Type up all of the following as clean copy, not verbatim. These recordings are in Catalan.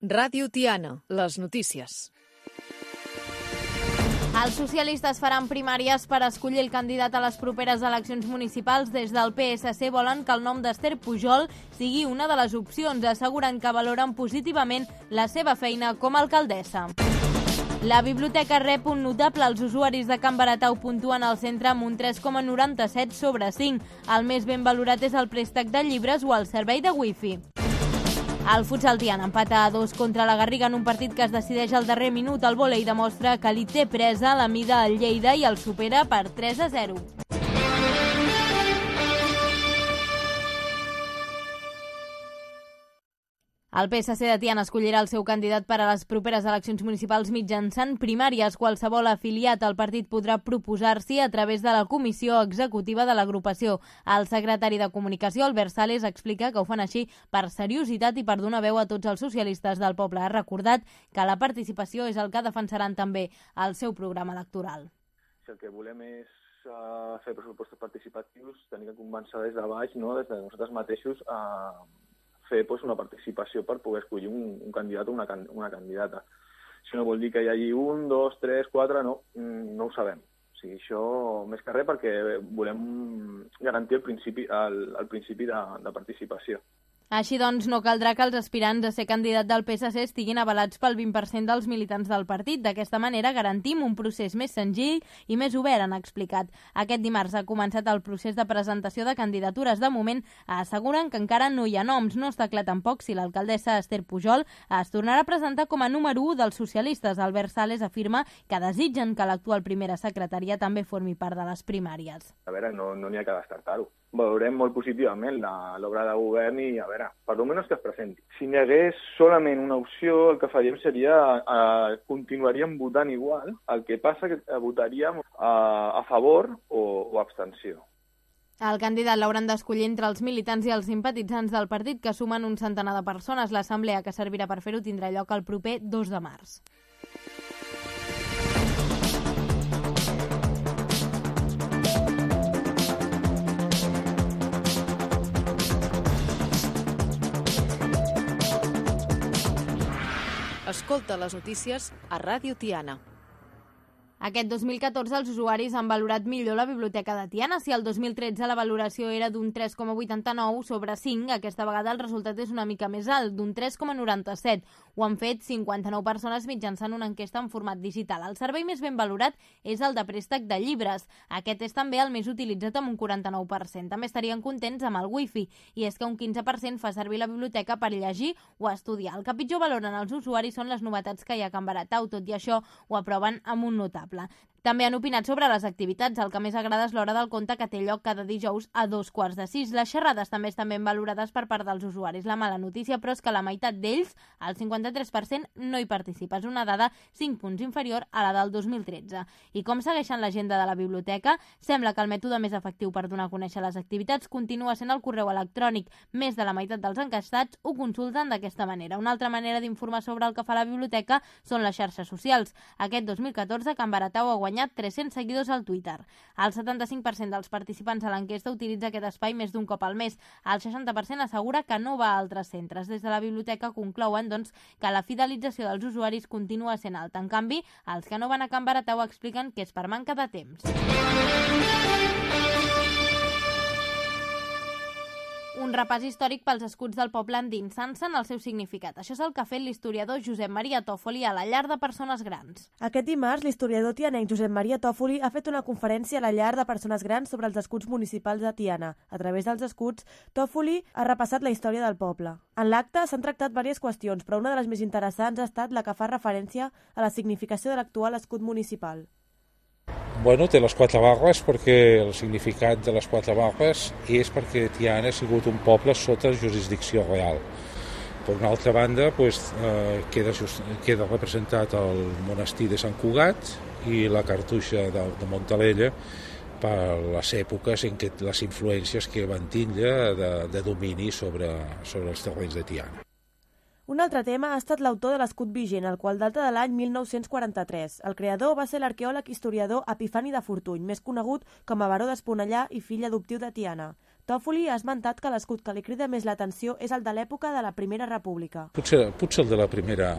Ràdio Tiana, les notícies. Els socialistes faran primàries per escollir el candidat a les properes eleccions municipals. Des del PSC volen que el nom d'Esther Pujol sigui una de les opcions. Asseguren que valoren positivament la seva feina com a alcaldessa. La biblioteca rep un notable. Els usuaris de Can Baratau puntuen al centre amb un 3,97 sobre 5. El més ben valorat és el préstec de llibres o el servei de wifi. El futsal Tiana empata a 2 contra la Garriga en un partit que es decideix al darrer minut. El vòlei demostra que li té presa la mida al Lleida i el supera per 3-0. El PSC de Tiana escollirà el seu candidat per a les properes eleccions municipals mitjançant primàries. Qualsevol afiliat al partit podrà proposar-s'hi a través de la comissió executiva de l'agrupació. El secretari de Comunicació, Albert Sales, explica que ho fan així per seriositat i per donar veu a tots els socialistes del poble. Ha recordat que la participació és el que defensaran també al seu programa electoral. Si el que volem és fer pressupostos participatius, tenir que començar des de baix, no? Des de nosaltres mateixos, fer una participació per poder escollir un candidat o una candidata. Això no vol dir que hi hagi 1, 2, 3, 4, no ho sabem. O sigui, això més que res perquè volem garantir el principi de participació. Així doncs, no caldrà que els aspirants a ser candidat del PSC estiguin avalats pel 20% dels militants del partit. D'aquesta manera garantim un procés més senzill i més obert, han explicat. Aquest dimarts ha començat el procés de presentació de candidatures. De moment, asseguren que encara no hi ha noms. No està clar tampoc si l'alcaldessa Esther Pujol es tornarà a presentar com a número 1 dels socialistes. Albert Sales afirma que desitgen que l'actual primera secretària també formi part de les primàries. A veure, no n'hi ha que descartar-ho. Valorem molt positivament l'obra de govern i, a veure, per almenys que es presenti. Si n'hi hagués solament una opció, el que faríem seria, continuaríem votant igual, el que passa que votaríem a favor o abstenció. El candidat l'hauran d'escollir entre els militants i els simpatitzants del partit, que sumen un centenar de persones. L'assemblea que servirà per fer-ho tindrà lloc el proper 2 de març. Escolta les notícies a Ràdio Tiana. Aquest 2014 els usuaris han valorat millor la biblioteca de Tiana. Si el 2013 la valoració era d'un 3,89 sobre 5, aquesta vegada el resultat és una mica més alt, d'un 3,97. Ho han fet 59 persones mitjançant una enquesta en format digital. El servei més ben valorat és el de préstec de llibres. Aquest és també el més utilitzat amb un 49%. També estarien contents amb el wifi, i és que un 15% fa servir la biblioteca per llegir o estudiar. El que pitjor valoren els usuaris són les novetats que hi ha a Can Baratau. Tot i això, ho aproven amb un notable. També han opinat sobre les activitats. El que més agrada és l'hora del conte, que té lloc cada dijous a 5:45. Les xerrades també estan ben valorades per part dels usuaris. La mala notícia, però, és que la meitat d'ells, el 53%, no hi participa. És una dada 5 punts inferior a la del 2013. I com segueixen l'agenda de la biblioteca? Sembla que el mètode més efectiu per donar a conèixer les activitats continua sent el correu electrònic. Més de la meitat dels enquestats ho consulten d'aquesta manera. Una altra manera d'informar sobre el que fa la biblioteca són les xarxes socials. Aquest 2014, Can Baratau ha guanyat 300 seguidors al Twitter. El 75% dels participants a l'enquesta utilitza aquest espai més d'un cop al mes. El 60% assegura que no va a altres centres. Des de la biblioteca conclouen, doncs, que la fidelització dels usuaris continua sent alta. En canvi, els que no van a Can Baratau expliquen que és per manca de temps. Un repàs històric pels escuts del poble endinsant-se en el seu significat. Això és el que ha fet l'historiador Josep Maria Tòfoli a la llar de persones grans. Aquest dimarts, l'historiador tianenc Josep Maria Tòfoli ha fet una conferència a la llar de persones grans sobre els escuts municipals de Tiana. A través dels escuts, Tòfoli ha repassat la història del poble. En l'acte s'han tractat diverses qüestions, però una de les més interessants ha estat la que fa referència a la significació de l'actual escut municipal. Bueno, té les 4 barres perquè el significat de les 4 barres és perquè Tiana ha sigut un poble sota jurisdicció real. Per una altra banda, queda representat el monestir de Sant Cugat i la cartoixa de Montalella per les èpoques en què les influències que van tindre de domini sobre els terrenys de Tiana. Un altre tema ha estat l'autor de l'escut vigent, el qual data de l'any 1943. El creador va ser l'arqueòleg historiador Epifani de Fortuny, més conegut com a baró d'Esponellà i fill adoptiu de Tiana. Toffoli ha esmentat que l'escut que li crida més l'atenció és el de l'època de la Primera República. Potser el de la Primera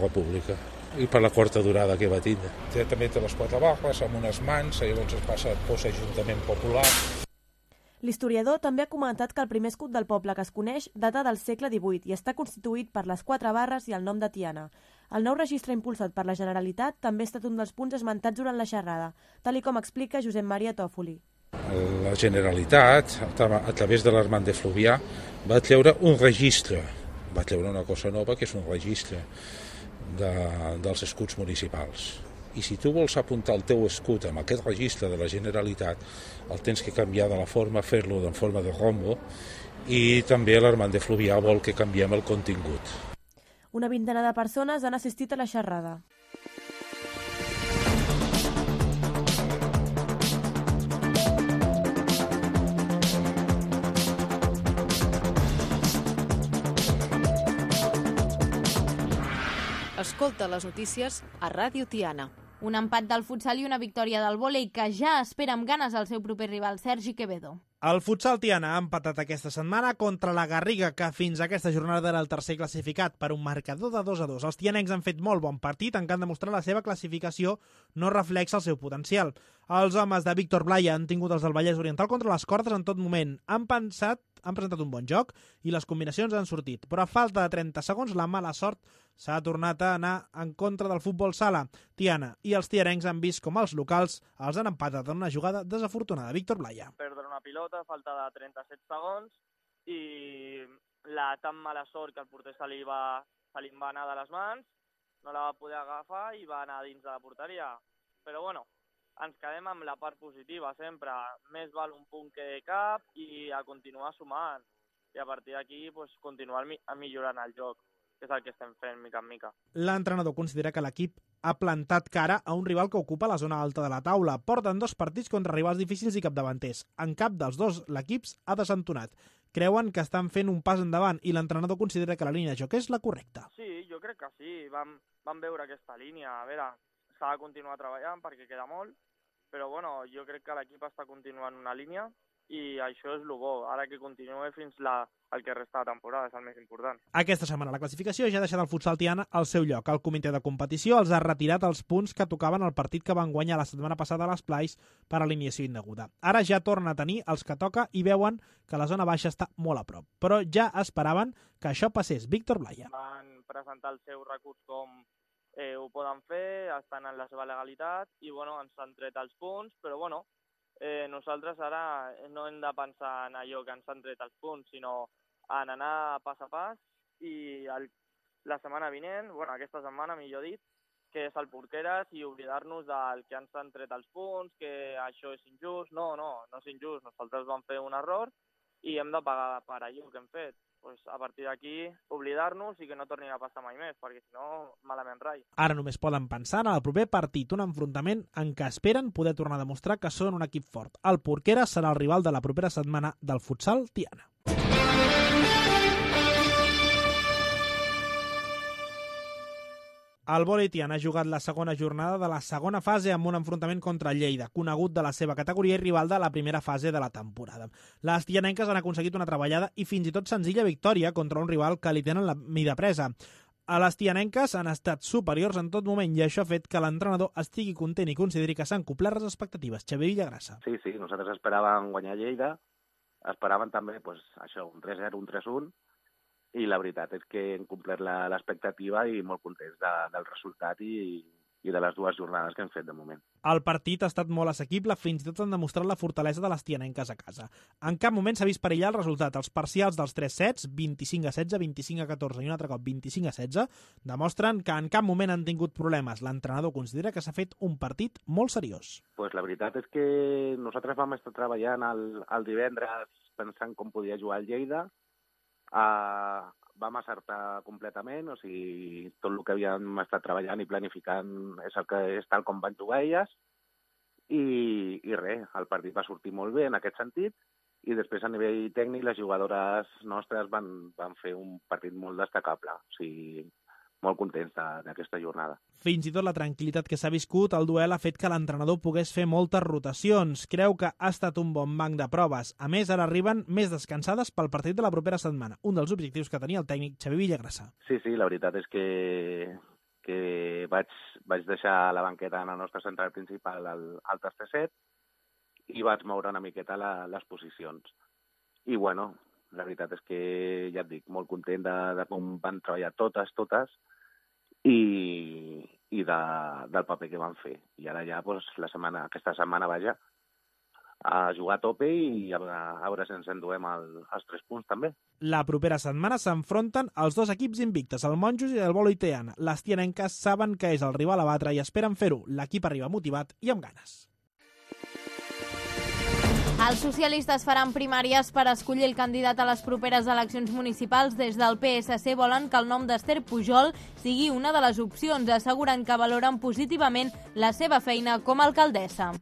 República, i per la quarta durada que va tindre. També té les 4 barres amb unes mans, llavors es passa a post Ajuntament Popular. L'historiador també ha comentat que el primer escut del poble que es coneix data del segle XVIII i està constituït per les 4 barres i el nom de Tiana. El nou registre impulsat per la Generalitat també ha estat un dels punts esmentats durant la xerrada, tal com explica Josep Maria Toffoli. La Generalitat, a través de l'Armand de Fluvià, va treure un registre, va treure una cosa nova que és un registre dels escuts municipals. I si tu vols apuntar el teu escut amb aquest registre de la Generalitat, el tens que canviar de la forma, fer-lo en forma de rombo, i també l'Armand de Fluvià vol que canviem el contingut. Una vintena de persones han assistit a la xerrada. Escolta les notícies a Ràdio Tiana. Un empat del futsal i una victòria del vòlei que ja espera amb ganes el seu proper rival, Sergi Quevedo. El futsal Tiana ha empatat aquesta setmana contra la Garriga, que fins a aquesta jornada era el tercer classificat, per un marcador de 2-2. Els tianencs han fet molt bon partit, en què han demostrat la seva classificació no reflexa el seu potencial. Els homes de Víctor Blaya han tingut els del Vallès Oriental contra les cordes en tot moment. Han presentat un bon joc i les combinacions han sortit, però a falta de 30 segons la mala sort s'ha tornat a anar en contra del futbol sala. Tiana i els tiarencs han vist com els locals els han empatat en una jugada desafortunada. Víctor Blaya. Perdre una pilota, falta de 37 segons i la tan mala sort que el porter se li va anar de les mans, no la va poder agafar i va anar dins de la porteria. Però bueno, ens quedem amb la part positiva sempre. Més val un punt que cap i a continuar sumant. I a partir d'aquí continuar millorant el joc, que és el que estem fent mica en mica. L'entrenador considera que l'equip ha plantat cara a un rival que ocupa la zona alta de la taula. Porten 2 partits contra rivals difícils i capdavanters. En cap dels 2 l'equip ha desentonat. Creuen que estan fent un pas endavant i l'entrenador considera que la línia de joc és la correcta. Sí, jo crec que sí. Vam veure aquesta línia. A veure, s'ha de continuar treballant perquè queda molt, però bueno, jo crec que l'equip està continuant una línia i això és el bo. Ara que continuï fins el que resta de temporada, és el més important. Aquesta setmana la classificació ja ha deixat el futsal Tiana al seu lloc. El comitè de competició els ha retirat els punts que tocaven al partit que van guanyar la setmana passada a les Plais per alineació indeguda. Ara ja torna a tenir els que toca i veuen que la zona baixa està molt a prop. Però ja esperaven que això passés. Víctor Blaya. Van presentar el seu recurs com ho poden fer, estan en la seva legalitat i bueno, ens han tret els punts, però bueno, nosaltres ara no hem de pensar en allò que ens han tret els punts, sinó en anar pas a pas i la setmana vinent, aquesta setmana millor dit, que és el Porqueres i oblidar-nos del que ens han tret els punts, que això és injust. No és injust, nosaltres vam fer un error i hem de pagar per allò que hem fet. A partir d'aquí, oblidar-nos i que no torni a passar mai més, perquè si no, malament rai. Ara només poden pensar en el proper partit, un enfrontament en què esperen poder tornar a demostrar que són un equip fort. El Porqueres serà el rival de la propera setmana del futsal Tiana. El vòlei Tiana ha jugat la segona jornada de la segona fase amb un enfrontament contra el Lleida, conegut de la seva categoria i rival de la primera fase de la temporada. Les tianenques han aconseguit una treballada i fins i tot senzilla victòria contra un rival que li tenen la mida presa. A les tianenques han estat superiors en tot moment i això ha fet que l'entrenador estigui content i consideri que s'han complert les expectatives. Xavier Villagrassa. Sí, nosaltres esperàvem guanyar Lleida, esperaven també això, un 3-0, un 3-1, i la veritat és que hem complert l'expectativa i molt contents del resultat i de les 2 jornades que hem fet de moment. El partit ha estat molt assequible, fins i tot han demostrat la fortalesa de les tianenques a casa. En cap moment s'ha vist perillar el resultat. Els parcials dels 3 sets, 25-16, 25-14 i un altre cop 25-16, demostren que en cap moment han tingut problemes. L'entrenador considera que s'ha fet un partit molt seriós. La veritat és que nosaltres vam estar treballant el divendres pensant com podia jugar el Lleida. Vam acertar completament, o sigui, tot el que havíem estat treballant i planificant és tal com van jugar elles i res, el partit va sortir molt bé en aquest sentit i després a nivell tècnic les jugadores nostres van fer un partit molt destacable, o sigui, molt contents d'aquesta jornada. Fins i tot la tranquil·litat que s'ha viscut, el duel ha fet que l'entrenador pogués fer moltes rotacions. Creu que ha estat un bon banc de proves. A més, ara arriben més descansades pel partit de la propera setmana, un dels objectius que tenia el tècnic Xavi Villagrasa. Sí, la veritat és que vaig deixar la banqueta en el nostre central principal al tercer set i vaig moure una miqueta les posicions. I bueno, la veritat és que, ja et dic, molt content de com van treballar totes, i del paper que van fer. I ara ja, aquesta setmana, a jugar a tope i a veure si ens enduem els 3 punts també. La propera setmana s'enfronten els 2 equips invictes, el Monjos i el Bolo Tiana. Les tianenques saben que és el rival a batre i esperen fer-ho. L'equip arriba motivat i amb ganes. Els socialistes faran primàries per escollir el candidat a les properes eleccions municipals. Des del PSC volen que el nom d'Esther Pujol sigui una de les opcions, assegurant que valoren positivament la seva feina com a alcaldessa.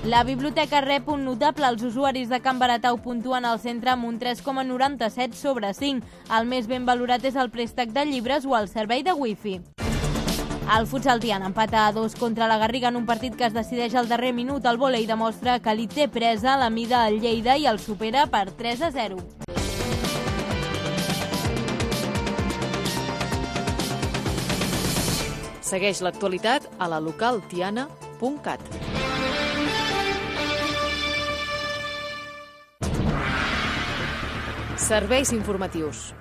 La biblioteca rep un notable. Els usuaris de Can Baratau puntuen al centre amb un 3,97 sobre 5. El més ben valorat és el préstec de llibres o el servei de wifi. El futsal Tiana empata a 2 contra la Garriga en un partit que es decideix al darrer minut. El vòlei demostra que li té presa la mida al Lleida i el supera per 3-0. Segueix l'actualitat a la localtiana.cat. Serveis informatius.